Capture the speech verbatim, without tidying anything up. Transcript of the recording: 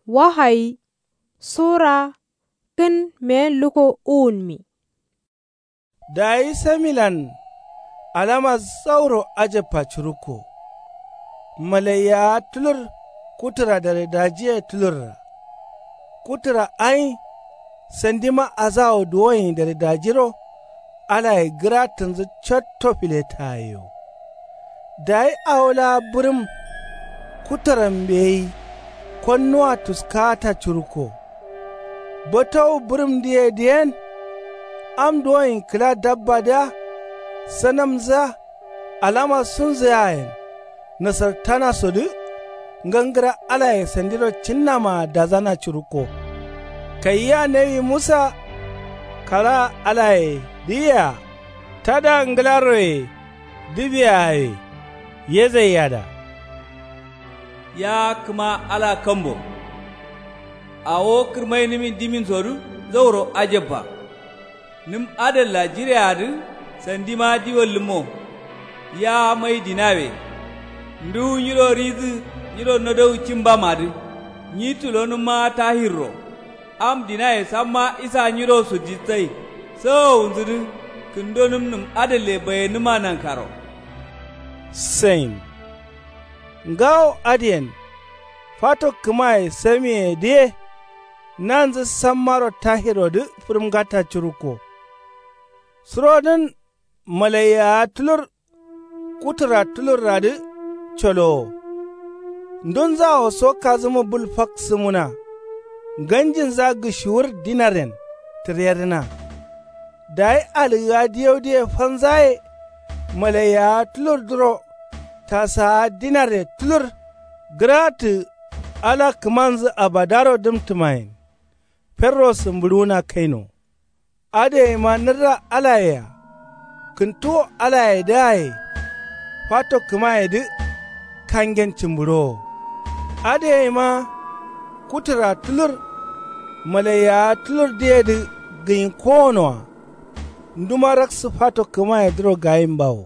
Wahayi sura kǝn meyen luko uwunmi. Dayi samilan alama zauro ajabba curukko. Malaiyawa tulur kutǝra daredajiye tulurra. Kutǝra ayi sandima azawo duwoyin daredajiro alaye gǝratǝnzǝ cotto filetayeyo. Dayi awo laa bǝrǝm kutǝran mbeyi konnuwa tuskata curukko. Botowu bǝrǝmdǝye dǝyen am duwoyin kǝla dabbadǝa sanamzǝa alama sunzǝyayen nasartanasodǝ ngangǝra alaye sandiro cinnamaa dazana curukko. Kayia nawi musa kalaa alaye dǝyea tada ngǝlaroye dǝbiyaye yezaiyada. Ya kǝma ala kambo awo kǝrmainǝmin diminsodǝ zauro ajabba. Nǝm adalla jireadǝ sandima diwallǝmmo. Ya mai dinawe nduwu nyiro ridǝ nyiro nodowu cimbamadǝ nyi tulonǝmmaa tahirro. Am dinaye samma isa nyiro sudisai sawowunzǝdǝ kǝndonǝm nǝm adalle bayenǝma nankaro. Sain ngawo adǝyen fato kǝmaye samiyedǝye nanzǝ sammaro tahirodǝ fǝrǝmgata curukko. Surodǝn malaiyawa tulur kutǝra tulurradǝ colowo. Ndunzawo so kazǝmu bul fak sǝmuna nganjinza gǝshiwur dinaryen tǝryerǝna. Dayi alǝgga diyaudǝye fanzaye malaiyawa tulurdǝro tasawa dinarye tulur gǝratǝ ala kǝmanzǝ abadaro dǝmtǝmayen. Ferro sǝmbǝɍuwuna kaino. Adǝyeima nǝrra alayea kǝntuwo alayedǝaye fato kǝmayedǝ kangen cǝmbǝɍowo. Adǝyeima kutǝra tulur malaiyawa tulurdǝyedǝ gǝnyi kowonoa. Nduma raksǝ fato kǝmayedǝro gayimbawo.